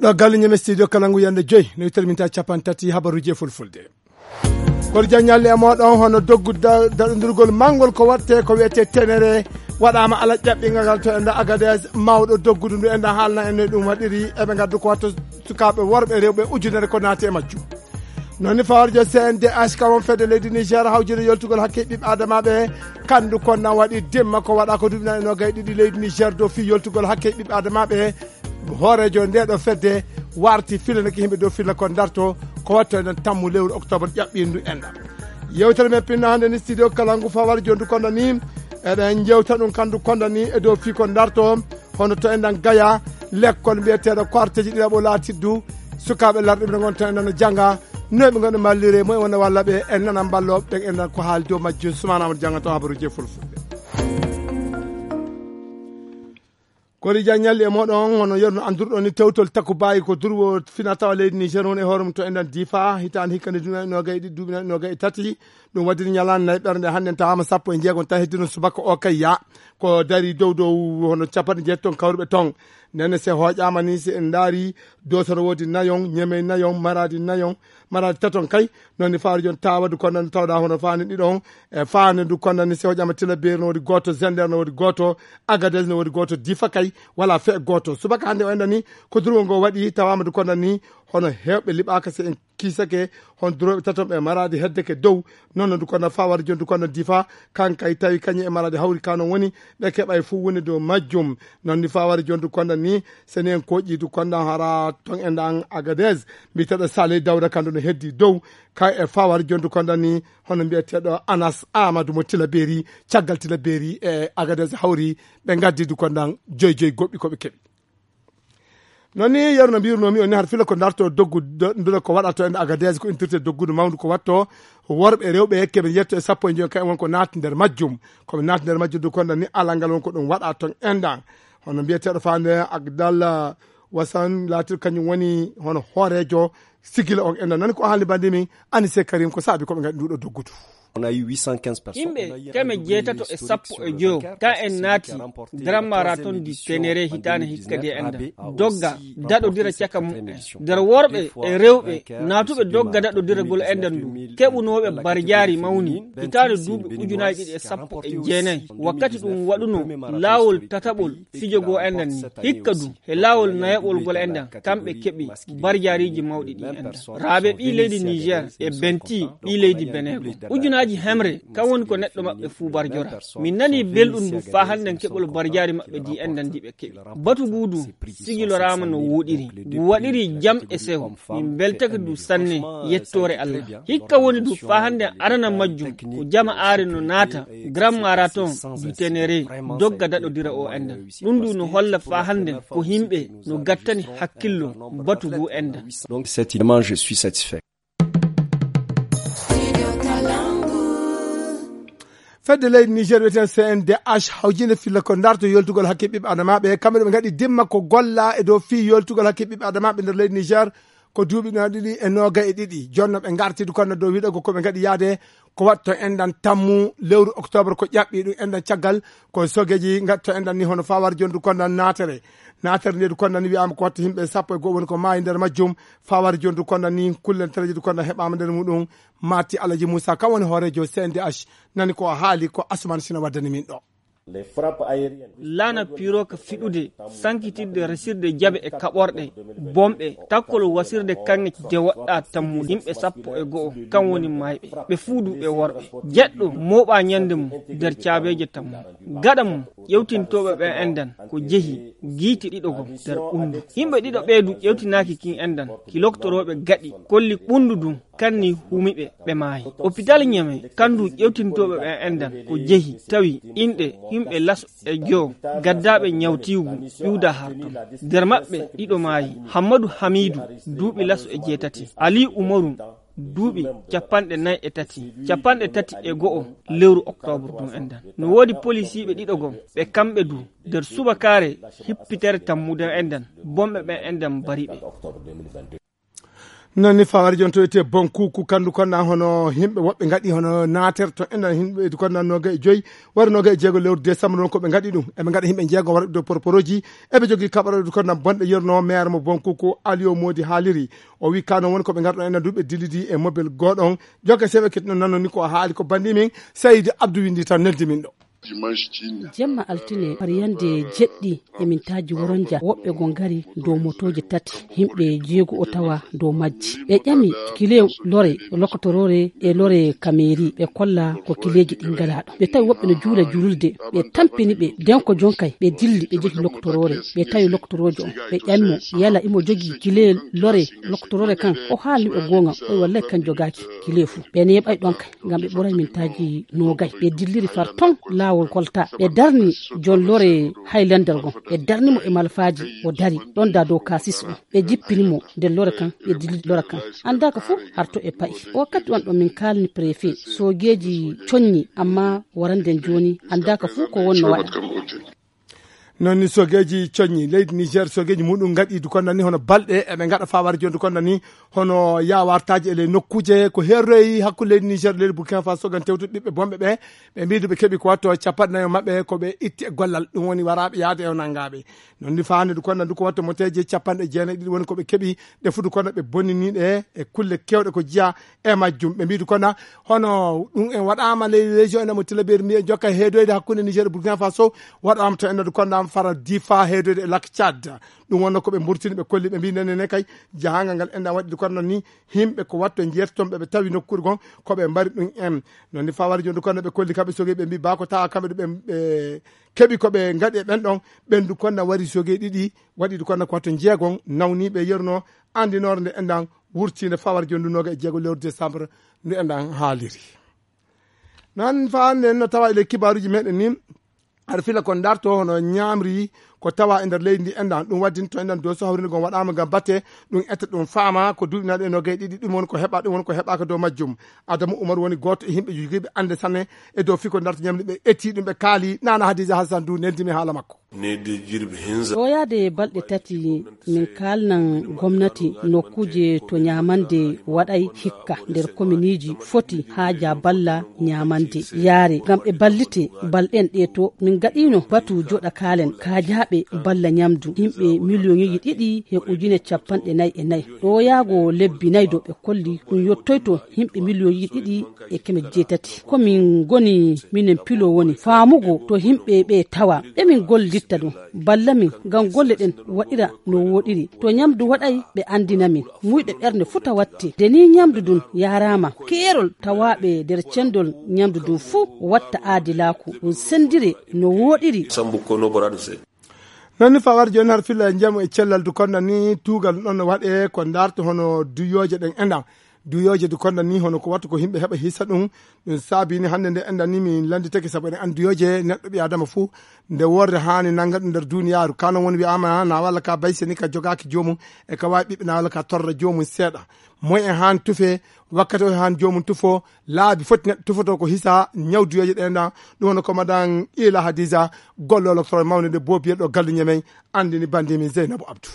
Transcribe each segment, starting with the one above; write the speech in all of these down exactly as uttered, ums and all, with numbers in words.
Ɗo galle ñeme studio kala ngu yande joyi, no yittere minti capanɗe tati habaruuji e fulfulde. Kono jan ñalli e mooɗon, hono doggu da-, daɗondirgol manngol ko watte ko wiyetee tenere, waɗaama ala ƴaɓɓingal ngal to enda Agadez, mawɗo doggudu ndu enda haalna en no ɗum waɗiri, eɓe ngaddu ko watto sukaaɓe worɓe e rewɓe ujunere ko naati e majjum. Noon ni fawarjo C N D H ka won fedde leydi Niger hawjinde yoltugol hakke ɓiɓɓe adamaaɓe, kandu kon na waɗi dimma ko waɗa ko duuɓi nayi e noogay ɗiɗi leydi Niger dow fii yoltugol hakke ɓiɓɓe adamaaɓe. Hooreejo ndee ɗo fedde warti filana ki yimɓe dow filla kon darto ko watto enen tammu lewru octobre ƴaɓɓindu enɗam. Yewtere men pinno hannde ni studio kala ngu fawar jondu kono ni eɗen jewta ɗum kandu kono ni e dow fii kon darto hono to enɗan gaya lekkol mbiyeteeɗo ko arteji ɗiɗaɓo laatiddu sukaaɓe larɗuɓe ne ngon to enɗan no jannga noy ɓe ngon mallire moy wona walla ɓe en nana mballo ɓe enɗan ko haali dow majjum sumanama jannga to habaruji e fulfulde. Kori jan ñalli e moɗon hono yerno andurɗo ni tewtol takku bayi ko durwo fina tawa leydi Niger woni e hoore mum to enɗan difa hitande hikkande duuɓi nogay ɗiɗi duuɓi nogay e tati. Ɗum waɗiri ñalande nayi ɓernde hannde tawama sappo e jeegom tawi heddino subaka o kay ya ko dari dow dow hono capanɗe jeetati ton kawruɓe ton. Nene se hoƴama ni se en daari dosono woodi nayon ñemey nayon maradi nayon maradi taton kay. Noon ni fawari jooni tawadu konnani tawɗa hono faani ɗiɗon e faani ndu konnani sewo ƴama tila beeri no woodi gooto zender no woodi gooto agades no woodi gooto difa kay wala fe gooto subaka hannde o enɗani ko durwo ngo waɗi tawama ndu konnani hono heewɓe liɓaka se en kiisake hon durooɓe taton ɓe maraade heddeke dow. Noon no ndu konna fawari jooni ndu konna difa kankay tawi kañum e maraade hawri ka noon woni ɓe keɓa e fof woni dow majjum. Noon ni fawari jooni ndu konna ni seni en koƴƴi ndu konna hara ton e ndan agades mbiteɗo saley dawda kandu no heddi dow. Kay e fawar jondu kondan ni hono mbiyeteɗo Anas Amadou mo Tilaberi caggal Tilaberi e Agadez hawri ɓe gaddi du kondan joyi joyi goɗɗi koɓe keɓi. Noon ni yeru no mbirunomi on ni har fila ko darto doggu ndule ko waɗato en Agadez ko intirte doggudu mawndu ko watto worɓe rewɓe keɓe yetto e sappo e joyi kay won ko naati nder majjum koɓe naati nder majjum du kondan ni alal ngal won ko ɗum waɗa ton endan. Hono mbiyeteɗo fande Agdallah Wasan laatir kañum woni hono hooreejo sigila on enda nani ko haali bandi min anise karim ko saabi koɓe ngaɗi nduɗo doggudu. Yimɓe keme jeetato e sappo e joyo ka en naati grand marathon du tenere hitaane hikkadi e enda dogga daɗodira caka mum en nder worɓe e rewɓe naatuɓe dogga daɗodiragol enda ndu keɓunooɓe barjaari mawni hitaane duuɓi ujunaaji ɗiɗi e sappo e jeenayi wakkati ɗum waɗuno laawol tataɓol fijo goo enda ni hikka du he laawol nayaɓol gol enda kamɓe keɓi barjaariiji mawɗi ɗi enda raabe ɓii leydi niger e benti ɓii leydi benego ujunaaji hemre kam woni ko neɗɗo maɓɓe fuu barjora min nani belɗum ndu faa hannden keɓol barjaari maɓɓe di enda ndi ɓe keɓi batu ngu du sigiloraama no wooɗiri ngu waɗiri jam e sewo min mbeltake du sanne yettoore allah hikka woni du faa hannden arana majjum ko jama aare no naata grand marathon du tenere dogga daɗodira o enda ɗum du no holla faa hannden ko himɓe no gattani hakkillo batu ngu enda. Donc cette image je suis satisfait. Fedde leydi niger wiyeten C N D H hawjinde filla ko darto yoltugol hakke ɓiɓɓe adamaɓe kamɓe ɗo ɓe gaɗi dimma ko golla e dow fii yoltugol hakke ɓiɓɓe adamaɓe nder leydi niger ko duuɓi no ɗiɗi e noga e ɗiɗi jonno ɓe gartidu konno dow wiɗogo koɓe gaɗi yaade ko watto enɗan tammu lewru octobre ko ƴaɓɓi ɗum enɗan caggal ko sogeji gatto enɗan ni hono fawar jondu konno natere natere nde du konno ni wiyama ko watto yimɓe sappo e goho woni ko maayi nder majjum fawar jondu konno ni kullen tereji du konno heɓama nder muɗum mati alaji moussa kam woni hoorejo C N D H nani ko haali ko asman sina waddani min ɗo. Laana piroka fiɗude sankitidde resirde jaɓe e kaɓorɗe bomɓe takkol wasirde kaŋŋe de woɗɗa tammu yimɓe sappo e go'o kam woni mayɓe ɓe fuu du ɓe worɓe jeɗɗo mooɓa ñande mum nder caabeeje tammu gaɗa mum ƴewtintooɓe ɓe endan ko jehi giiti ɗiɗo gom nder ɓunndu yimɓe ɗiɗo ɓee du ƴewtinaaki kin endan ki loktorooɓe gaɗi kolli ɓunndu dun kanni humiɓe ɓe maayi hôpital ñame kandu ƴewtintooɓe ɓen endan ko jehi tawi inɗe yimɓe laso e joo gaddaaɓe ñawtiigu ƴuwda har ton nder maɓɓe ɗiɗo maayi hammadu hamiidu duuɓi laso e jeetati ali umaru duuɓi capanɗe nayi e tati capanɗe tati e go'o lewru oktoobre ɗum endan no woodi polisiiɓe ɗiɗo gom ɓe kamɓe du nder subakaare hippitere tammude endan bomɓe ɓen endan mbari ɓe. Noon ni fawari jooni to wiyetee Bonkuku, kanndu konna hono yimɓe woɓɓe ngaɗi hono naater to enɗan, yimɓe du konna nooga e joyi wara nooga e jeego lewru décembre, noon ko ɓe ngaɗi ɗum. Eɓe ngaɗa yimɓe jeego wara ɗo porporooji, eɓe jogii kaɓaro du konna bonɗe yerno maire mo Bonkuku, Aliou Modi haaliri. O wi kano woni ko ɓe ngarɗo enɗan du ɓe dillidi e mobile gooɗo on. Jokke sewe ket noon nanno ni ko haali ko bandi min, Seydi Abdou windi tan neldi min ɗo. Jemma altine, pariyande jeɗɗi e mintaaji woronja, woɓɓe go ngari dow motooje tati, yimɓe jeego o tawa dow majji. Ɓe ƴami kile lore lokotoroore e lore kameeri, ɓe kolla ko kileeji ɗi ngalaa ɗo. Ɓe tawi woɓɓe no juula juulde, ɓe tampini ɓe, den ko jonkay, ɓe dilli, ɓe jehi lokotoroore, ɓe tawi lokotoroojo on. Ɓe ƴami mo, yala imo jogii kile lore lokotoroore kan? O haalni ɓe goonga, o wi wallay kan jogaaki kile fu. Ɓe neeɓay ɗon kay. Ngam ɓe ɓuray mintaaji noogay. Ɓe dilliri far ton laawol kolta. Ɓe darni jon lore Highlander gon. Ɓe darni mo e malfaaji. O dari ɗon da dow kaasis on. Ɓe jippini mo nder lore kan. Ɓe dillidi lore kan. Anndaaka fuu harto e pa'i. O wakkati on ɗo min kaalni préfet. Soogeeji coññi, amma waranden jooni anndaaka fuu ko wonno waɗa. Noon ni soogeeji coññi leydi Niger, soogeeji muɗum ngaɗi du konna ni hono balɗe, eɓe ngaɗa fawari jooni du konna ni hono yaawartaaji e ley nokkuuje ko heeroyi hakkunde leydi Niger, leydi Burkina Faso, ngam tewtude ɓiɓɓe bonɓe ɓe. Ɓe mbiyi du ɓe keɓi ko watto capanɗe nayo maɓɓe ko ɓe itti e gollal, ɗum woni waraaɓe yaade e o nanngaaɓe. Noon ni faande du konna du ko watto moteeje capanɗe jeenayi ɗiɗi woni ko ɓe keɓi, ɗe fuu du konna ɓe bonnini ɗe e kulle keewɗe ko jiya e majjum. Ɓe mbiyi du konna hono ɗum en waɗaama ley région ene mo Tilaberi mbiyen jokka heedoyde hakkunde Niger e Burkina Faso, waɗaama to ene du konna fara Difa heedoyde e Lac Tchad. Ɗum wonno ko ɓe mburtini, ɓe kolli, ɓe mbiyi nene ne kay jahangal ngal enɗan waɗi du konna ni yimɓe ko watto njeerti toon ɓe, ɓe tawi nokkuure gon ko ɓe mbari ɗum en. Noon ni fawari jooni du konna ɓe kolli kamɓe sogey, ɓe mbiyi ba ko tawa kamɓe du ɓe, ɓe keɓi ko ɓe ngaɗi e ɓen ɗon, ɓen du konna wari sogey ɗiɗi, waɗi du konna ko watto jeegon nawniiɓe yerno andinoore nde enɗan wurtiinde fawari jooni du nooga e jeego lewru décembre ndu enɗan haaliri. Noon faande no tawa e ley kibaaruuji meɗen ni, aɗa fila ko darto hono ñaamri ko tawa e nder leydi ndi enɗan, ɗum waddinto enɗan dow so hawrinde gon waɗaama ngam batte, ɗum etta ɗum faama ko duuɓi naɗe nooga e ɗiɗi, ɗum woni ko heɓa, ɗum woni ko heɓaaka dow majjum. Adamu Umar woni gooto e yimɓe jogiiɓe annde sanne e dow fii ko darto ñaamri, ɓe etti ɗum, ɓe kaali. Nana Hadiza Hassan du neldimi haala makko. Ɗo yaade balɗe tati min kaalnan gomnati nokkuuje to ñaamande waɗay hikka nder kominiiji foti haaja balla ñaamande yaare ngam ɓe ballite balɗen ɗe to min gaɗino batu joɗa kaalen kaajaaɓe balla ñamdu yimɓe miliyoŋeeji ɗiɗi e ujine capanɗe nayi e nayi. Ɗo yaago lebbi nayi do ɓe kolli ɗum yottoyto yimɓe miliyoŋeeji ɗiɗi e keme jeetati. Ko min ngoni minen pilo woni faamugo to yimɓe ɓe tawa ɓe min gollitta ɗum. Balla min ngam golle ɗen waɗira no wooɗiri. To ñamdu waɗay ɓe anndina min. Muyɗe ɓernde fuu tawatte. Nde ni ñamdu ndun yaaraama, keerol tawaaɓe nder cendol ñamdu ndun fuu watta aadilaaku. Ɗum senndire no wooɗiri. Noon ni fawar jooni har filla e njamu e cellal du konna ni tuugal ɗon no waɗe ko ndaarto hono duyooje ɗen enɗan. Duyooje du konna ni hono ko wattu ko yimɓe heɓa hisa ɗum. Ɗum saabi ni hannde nde enɗan ni min lannditake sabu eɗen anndi duyooje neɗɗo ɓi Adama fuu nde worre haani nannga ɗum nder duuniyaaru. Ka noon woni wiyaama na walla ka bayse ni ka jogaaki joomum e ka waawi ɓiɓɓe na walla ka torra joomum seeɗa. Moy en haani tufe wakkati o haani joomum tufo laabi foti neɗɗo tufotoo ko hisa ñaw duyooje ɗe enɗan. Ɗum woni ko madan Ila Hadiza golloo lokotoro mawnde nde boobiyeɗo gallu ñemey anndini banndiimi Zeynabu Abdu.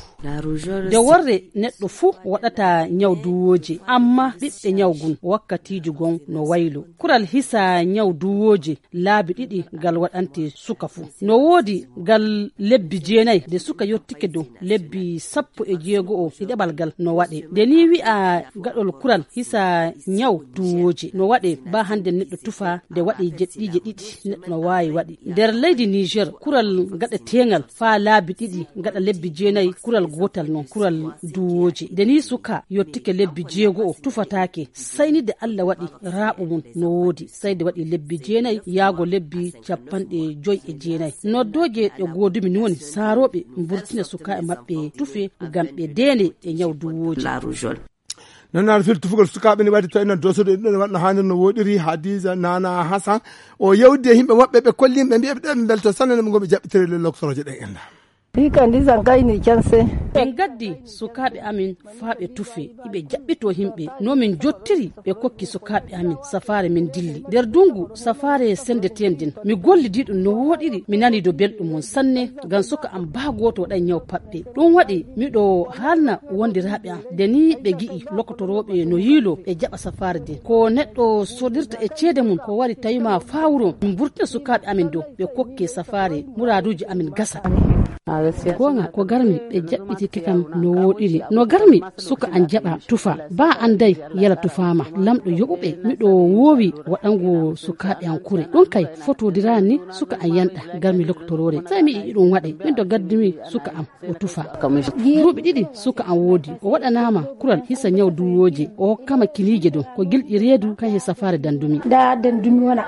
Nde worre neɗɗo fuu waɗata ñaw duwooje, amma ɓiɓɓe ñaw gun wakkatiiji gon no waylo. Kural hisa ñaw duwooje laabi ɗiɗi gal waɗante suka fuu. No woodi gal lebbi jeenay, nde suka yottike dow lebbi sappo e jeego o, ɗiɗaɓal gal no waɗe. Nde ni wi'a gaɗol kural hisa ñaw duwooje no waɗe ba hannde neɗɗo tufa nde waɗi jeɗɗiije ɗiɗi neɗɗo no waawi waɗi. Nder leydi Niger, kural gaɗeteengal faa laabi ɗiɗi gaɗa lebbi jeenay, kural gootal non, kural duwooje. Nde ni suka yottike lebbi jeego o tufataake, saynide Allah waɗi raaɓo mum no woodi, sayde waɗi lebbi jeenay yaago lebbi capanɗe joy e jeenay. Noddooje ɗe goodumi ni woni saarooɓe mburtina sukaaɓe maɓɓe tufe ngam ɓe deene e ñaw duwooje. Noon ar fil tufugol sukaaɓe ne waɗi to enen dosoɗo en ɗon waɗno haanir no woɗiri. Hadiza Nana Hassan o yewdi e yimɓe woɓɓe ɓe kolli yimɓe mbiyaɓe ɗo ɓe mbelto sanne no ɓe ngomi jaɓɓitiri le loktoroje ɗen enɗan. Ɗi kam, ɗi san kayni canse. Min gaddi sukaaɓe amin faa ɓe tufee, iɓe jaɓɓitoo yimɓe. No min jottiri, ɓe kokki sukaaɓe amin safaare, min dilli. Nder dunngu safaare senndeteende nden, mi gollidii ɗum no wooɗiri, mi nanii do belɗum mum sanne, ngam suka am baa gooto waɗay nyaw paɓɓe. Ɗum waɗi miɗo haalna wondiraaɓe am, nde nii ɓe ngi'i lokotorooɓe no yiiloo, ɓe jaɓa safaare nden. Ko neɗɗo sodirta e ceede mum, ko wari tawi ma faa wuro, min mburtina sukaaɓe amin dow, ɓe kokke safaare, muraaduuji amin gasa. Goonga, ko garmi ɓe jaɓɓitike kam no wooɗiri. No garmi suka an jaɓa tufa. Baa an day yala tufaama. Lamɗo yoɓuɓe, miɗo woowi waɗango sukaaɓe an kure. Ɗum kay fotodiraani suka an yanɗa garmi lokotoroore. Sey mi yi'i ɗum waɗe, min to gaddumi suka am o tufa. Duuɓi ɗiɗi suka an woodi. O waɗanaama kural hisa nyaw duwooje. O hokkama kiniije dow. Ko gilɗi reedu kay he safaare dandumi. Nda dandumi wona.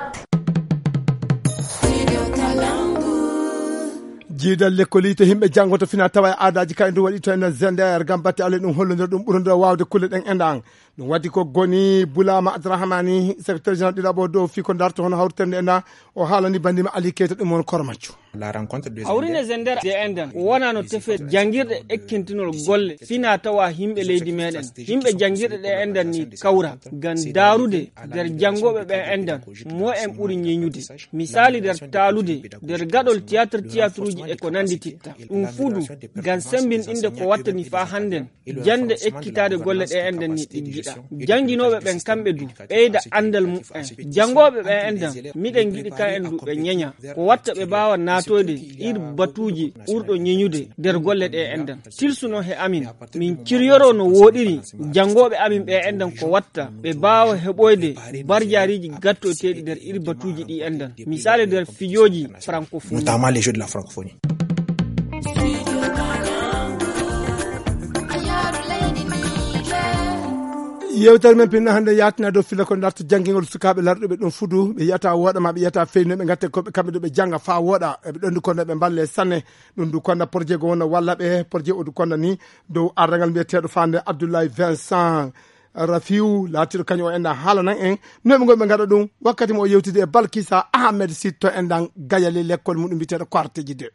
Jiidal lekkol yiite yimɓe janngoto fina tawa e aadaaji kay ndu waɗi to enen Zender ngam batte Allah ɗum hollondira ɗum ɓurondira waawde kulle ɗen e ndan. Ɗum waɗi ko goni Bulama Abdourahmani, secrétaire général ɗiɗaɓo dow fii ko darto hono hawritende e ndan. O haalani banndima Ali Keita ɗum won Kormaccu. Hawrine Zender de endan wonano tefe janngirɗe ekkintinol golle fina tawa yimɓe leydi meɗen. Yimɓe janngirɗe ɗe endan ni kawra ngam daarude nder janngooɓe ɓe endan mo en ɓuri ñeñude. Misali nder taalude nder gaɗol tiyaatir, tiyatiruuji e ko nanndi titta. Ɗum fuu du ngam semmbinɗinde ko wattani faa hannden jannde ekkitaade golle ɗe enɗen ni ɗiggiɗa. Jannginooɓe ɓen kamɓe du ɓeyda anndal mumen. Janngooɓe ɓe enɗen miɗen ngiɗi ka en du ɓe ñeña. Ko watta ɓe mbaawa naatoyde ir batuuji ɓurɗo ñeñude nder golle ɗe enɗen. Tilsuno he amin. Min ciryoro no wooɗiri janngooɓe amin ɓe enɗen ko watta ɓe mbaawa heɓoyde barjaariiji gattoyteeɗi nder ir batuuji ɗi enɗen. Misali nder fijooji francophonie. Notamment les jeux de la francophonie. Yewtere men pinna hannde yaatina dow filla ko darto janngingol sukaaɓe larɗuɓe ɗum fudu ɓe yiyata wooɗa ma ɓe yiyata feyno ɓe gatte koɓe kamɓe ɗo ɓe jannga faa wooɗa eɓe ɗonndi kono ɓe mballe sanne. Ɗum du konna projet go wona walla ɓe projet o du konna ni dow arrangal mbiyeteeɗo fande Abdoulaye Vincent Rafiu laatiɗo kañum o enɗan haalanan en noɓe ngonɓe gaɗa ɗum wakkati mo o yewtidi e Balkisa Ahmed Sitto enɗan gayale lekkol muɗum mbiyeteeɗo Koarteji deux.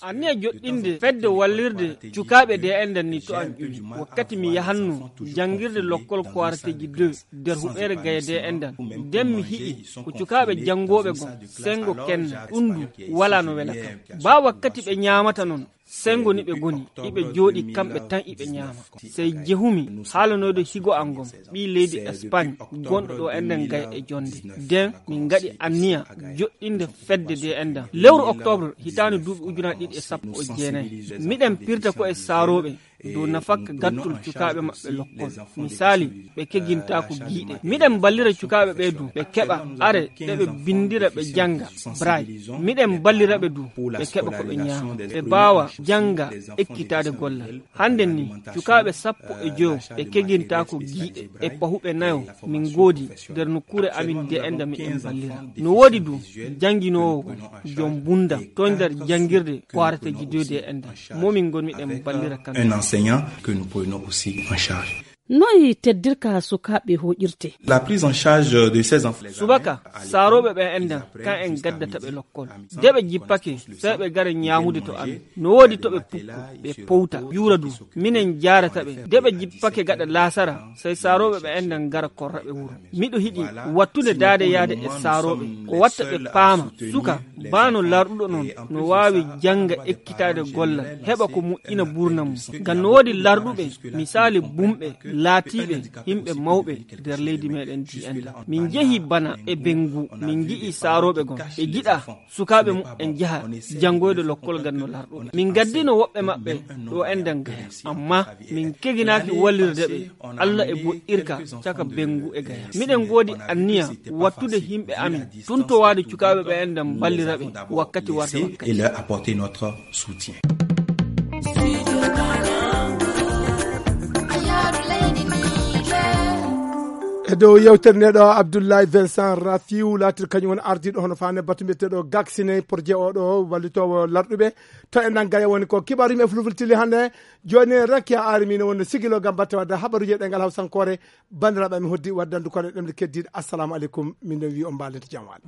Anniya joɗɗinde fedde wallirde cukaaɓe de enɗan ni to an ƴuwi wakkati mi yahanno janngirde lokkol Koarteji deux nder huɓeere gaya de enɗan nden mi hi'i ko cukaaɓe janngooɓe gon senngo kenna ɗum du walaa no wela kam. Baa wakkati ɓe ñaamata non senngo ni ɓe ngoni iɓe jooɗi kamɓe tan iɓe ñaama. Sey jehumi haalanoyde higo an ngon ɓii leydi Espagne gonɗo ɗo enɗan gaya e jonnde nden min ngaɗi anniya joɗɗinde fedde de enɗan lewru octobre hitaande duuɓi ujunaaji ɗiɗi e sappo e jeenayi. Miɗen pirta ko e saarooɓe dow nafakka gattol cukaaɓe maɓɓe lokkol. Misali ɓe kegintaako giiɗe miɗen mballira cukaaɓe ɓe du ɓe keɓa are ɓe ɓe binndira ɓe jannga braille. Miɗen mballira ɓe du ɓe keɓa ko ɓe ñaama ɓe mbaawa jannga ekkitaade gollal. Hannden ni cukaaɓe sappo e joyo ɓe kegintaako giiɗe e pahuɓe nayo min ngoodi nder nokkuure amin de enɗan miɗen mballira. No woodi du jannginoowo gon jom mbunndam to nder janngirde Koarteji deux de enɗan mo min ngon miɗen mballira kamɓe. Un enseignant que nous prenons aussi en charge. Noy teddirka sukaaɓe hoƴirte? La prise en charge de ces enfants. Subaka saarooɓe ɓe enɗan kan en gaddata ɓe lokkol de ɓe jippake sey ɓe gara ñaamude to amin. No woodi to ɓe pukku ɓe powta ƴuura du minen jaarata ɓe de ɓe jippake gaɗa laasara sey saarooɓe ɓe enɗan gara korra ɓe wuro. Miɗo hiɗi wattude daade yaade e saarooɓe ko watta ɓe paama suka baa no larɗuɗo non no waawi jannga ekkitaade gollal heɓa ko moƴƴina buurnam mum. Ngam no woodi larɗuɓe misali bumɓe laatiiɓe yimɓe mawɓe nder leydi meɗen di enɗan min njehi bana e benngu min ngi'i saarooɓe gon ɓe ngiɗa sukaaɓe mumen njaha janngoyde lokkol ngam no larɗuɓe min ngaddino woɓɓe maɓɓe ɗo enɗan gaya. Amma min keginaaki wallirde ɓe Allah e boɗɗirka caka benngu e gaya. Miɗen ngoodi anniya wattude yimɓe amin tuntowaade cukaaɓe ɓe enɗan mballira ɓe wakkati warde wakkati. Et leur apporter notre soutien. E dow yewtere nde ɗo Abdoulaye Vincent Rafiu laatir kañum woni ardiiɗo hono faande batu mbiyeteeɗo Gaksine projet o ɗo wallitoowo larɗuɓe to e nangaya woni ko kibaru yimɓe fulfultili hannde. Jooni Rakia Arimi no wonno sigilo ngam batte wadde habaruji e ɗengal hawsankoore. Banndiraaɓe mi hoddi waddandu kono e ɗemɗe keddiiɗe assalamu aleykum min ɗon wi on mbaalente jam waale.